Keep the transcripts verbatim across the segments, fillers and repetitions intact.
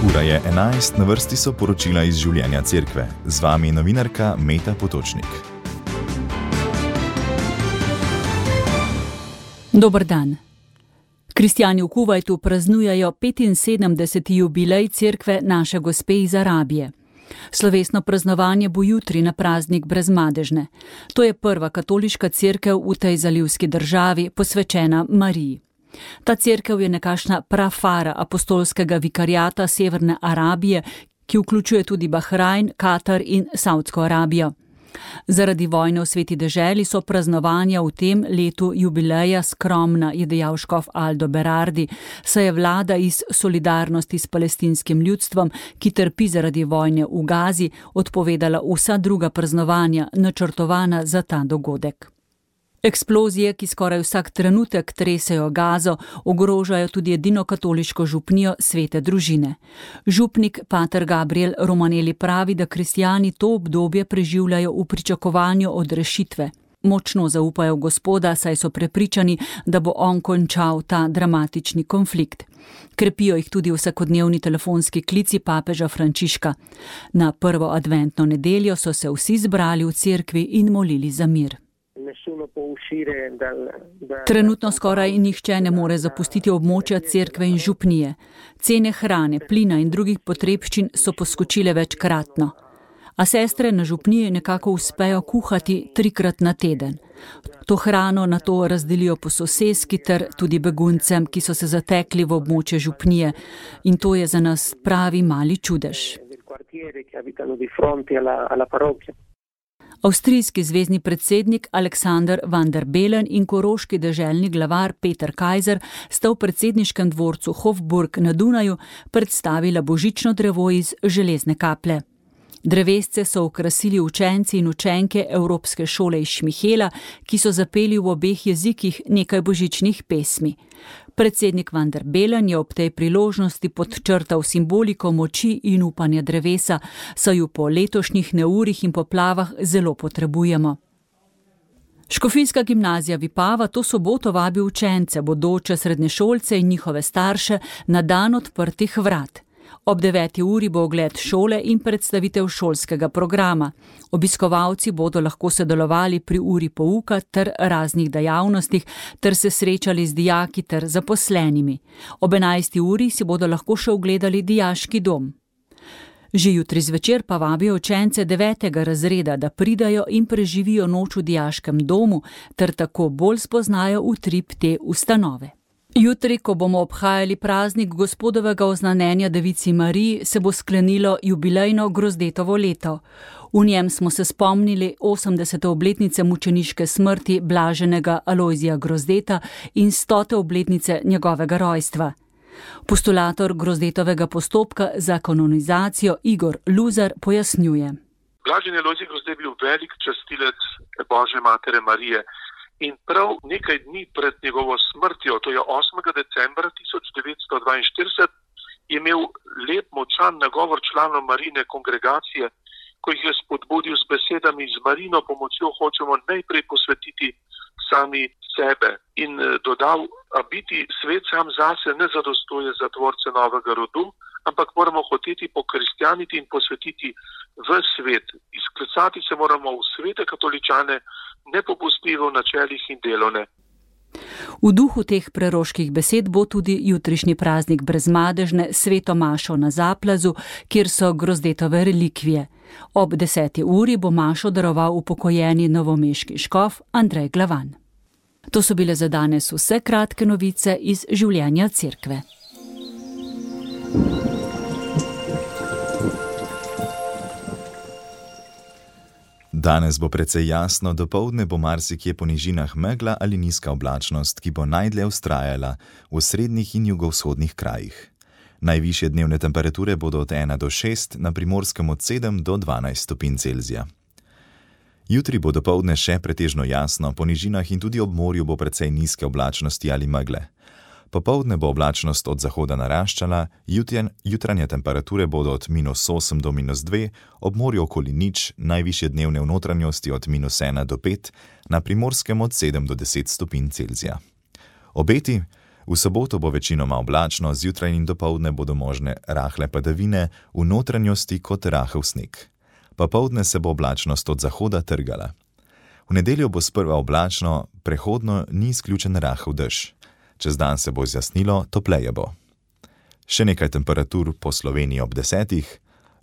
Ura je enajst, na vrsti so poročila iz življenja cerkve. Z vami novinarka Meta Potočnik. Dober dan. Kristjani v Kuvajtu praznujejo petinsedemdeseti jubilej cerkve Naše Gospe iz Arabije. Slovesno praznovanje bo jutri na praznik Brezmadežne. To je prva katoliška cerkev v tej zalivski državi, posvečena Mariji. Ta cerkev je nekakšna prafara apostolskega vikariata Severne Arabije, ki vključuje tudi Bahrajn, Katar in Saudsko Arabijo. Zaradi vojne v sveti deželi so praznovanja v tem letu jubileja skromna, je dejal škof Aldo Berardi, saj je vlada iz solidarnosti s palestinskim ljudstvom, ki trpi zaradi vojne v Gazi, odpovedala vsa druga praznovanja, načrtovana za ta dogodek. Eksplozije, ki skoraj vsak trenutek tresejo Gazo, ogrožajo tudi edino katoliško župnijo Svete družine. Župnik pater Gabriel Romanelli pravi, da kristjani to obdobje preživljajo v pričakovanju odrešitve. Močno zaupajo v Gospoda, saj so prepričani, da bo on končal ta dramatični konflikt. Krepijo jih tudi vsakodnevni telefonski klici papeža Frančiška. Na prvo adventno nedeljo so se vsi zbrali v cerkvi in molili za mir. Trenutno skoraj nihče ne more zapustiti območja cerkve in župnije. Cene hrane, plina in drugih potrebščin so poskočile večkratno. A sestre na župniji nekako uspejo kuhati trikrat na teden. To hrano nato razdelijo po soseski ter tudi beguncem, ki so se zatekli v območje župnije. In to je za nas pravi mali čudež. Avstrijski zvezni predsednik Aleksander van der Bellen in koroški deželni glavar Peter Kajzer sta v predsedniškem dvorcu Hofburg na Dunaju predstavila božično drevo iz železne kaplje. Drevesce so okrasili učenci in učenke Evropske šole iz Šmihela, ki so zapeli v obeh jezikih nekaj božičnih pesmi. Predsednik van der Bellen je ob tej priložnosti podčrtal simboliko moči in upanja drevesa, saj ju po letošnjih neurjih in poplavah zelo potrebujemo. Škofijska gimnazija Vipava to soboto vabi učence, bodoče srednješolce in njihove starše na dan odprtih vrat. Ob deveti uri bo ogled šole in predstavitev šolskega programa. Obiskovalci bodo lahko sodelovali pri uri pouka ter raznih dejavnostih ter se srečali z dijaki ter zaposlenimi. Ob enajsti uri si bodo lahko še ogledali dijaški dom. Že jutri zvečer pa vabijo učence devetega razreda, da pridajo in preživijo noč v dijaškem domu ter tako bolj spoznajo utrip te ustanove. Jutri, ko bomo obhajali praznik Gospodovega oznanjenja Devici Mariji, se bo sklenilo jubilejno Grozdetovo leto. V njem smo se spomnili osemdesete obletnice mučeniške smrti blaženega Alojzija Grozdeta in stote obletnice njegovega rojstva. Postulator Grozdetovega postopka za kanonizacijo Igor Luzar pojasnjuje. Blaženi Alojzij Grozdet je bil velik častilec Božje matere Marije. In prav nekaj dni pred njegovo smrtjo, to je osmega decembra tisoč devetsto dvainštirideset, je imel lep močan nagovor članov Marijine kongregacije, ko jih je spodbudil s besedami: z Marijino pomočjo hočemo najprej posvetiti sami sebe. In dodal: a biti svet sam zase ne zadostuje za tvorce novega rodu, ampak moramo hoteti pokristjaniti in posvetiti v svet. Izklicati se moramo v svete katoličane, nepopustljivo v načelih in delovne. V duhu teh preroških besed bo tudi jutrišnji praznik Brezmadežne sveto mašo na Zaplazu, kjer so Grozdetove relikvije. Ob deseti uri bo mašo daroval upokojeni novomeški škof Andrej Glavan. To so bile za danes vse kratke novice iz življenja cerkve. Danes bo precej jasno, dopoldne bo marsikje po nižinah megla ali nizka oblačnost, ki bo najdlje vztrajala v srednjih in jugovzhodnih krajih. Najvišje dnevne temperature bodo od ena do šest, na Primorskem od sedem do dvanajst stopinj Celzija. Jutri bo dopoldne še pretežno jasno, po nižinah in tudi ob morju bo precej nizke oblačnosti ali megle. Popoldne bo oblačnost od zahoda naraščala, jutjen, jutranje temperature bodo od minus osem do minus dve, ob morju okoli nič, najvišje dnevne v notranjosti od minus ena do pet, na Primorskem od sedem do deset stopinj Celzija. Obeti: V soboto bo večinoma oblačno, zjutraj in dopoldne bodo možne rahle padavine, v notranjosti kot rahel sneg. Popoldne se bo oblačnost od zahoda trgala. V nedeljo bo sprva oblačno, prehodno ni izključen rahel dež. Čez dan se bo zjasnilo, topleje bo. Še nekaj temperatur po Sloveniji ob desetih,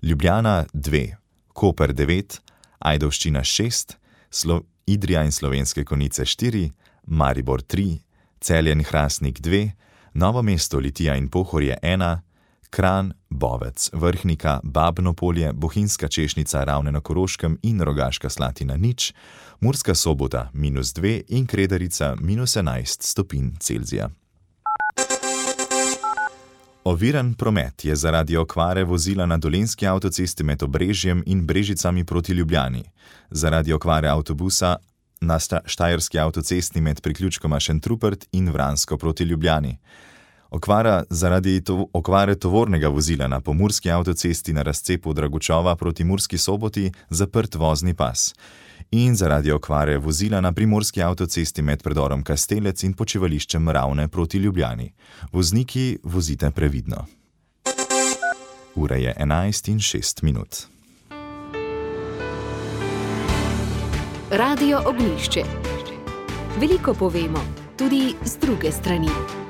Ljubljana dve, Koper devet, Ajdovščina šest, Slo- Idrija in Slovenske Konjice štiri, Maribor tri, Celje in Hrastnik dve, Novo mesto, Litija in Pohorje ena, Kranj, Bovec, Vrhnika, Babno Polje, Bohinjska Češnica, Ravne na Koroškem in Rogaška Slatina nič, Murska Sobota minus dve in Kredarica minus enajst stopinj Celzija. Oviran promet je zaradi okvare vozila na dolenjski avtocesti med Obrežjem in Brežicami proti Ljubljani. Zaradi okvare avtobusa na štajerski avtocesti med priključkoma Šentrupert in Vransko proti Ljubljani. Okvara zaradi to, okvare tovornega vozila na pomurski avtocesti na razcepu Dragučova proti Murski Soboti zaprt vozni pas. In zaradi okvare vozila na primorski avtocesti med predorom Kastelec in počivališčem Ravne proti Ljubljani. Vozniki, vozite previdno. Ura je enajst in šest minut. Radio Ognjišče. Veliko povemo, tudi z druge strani.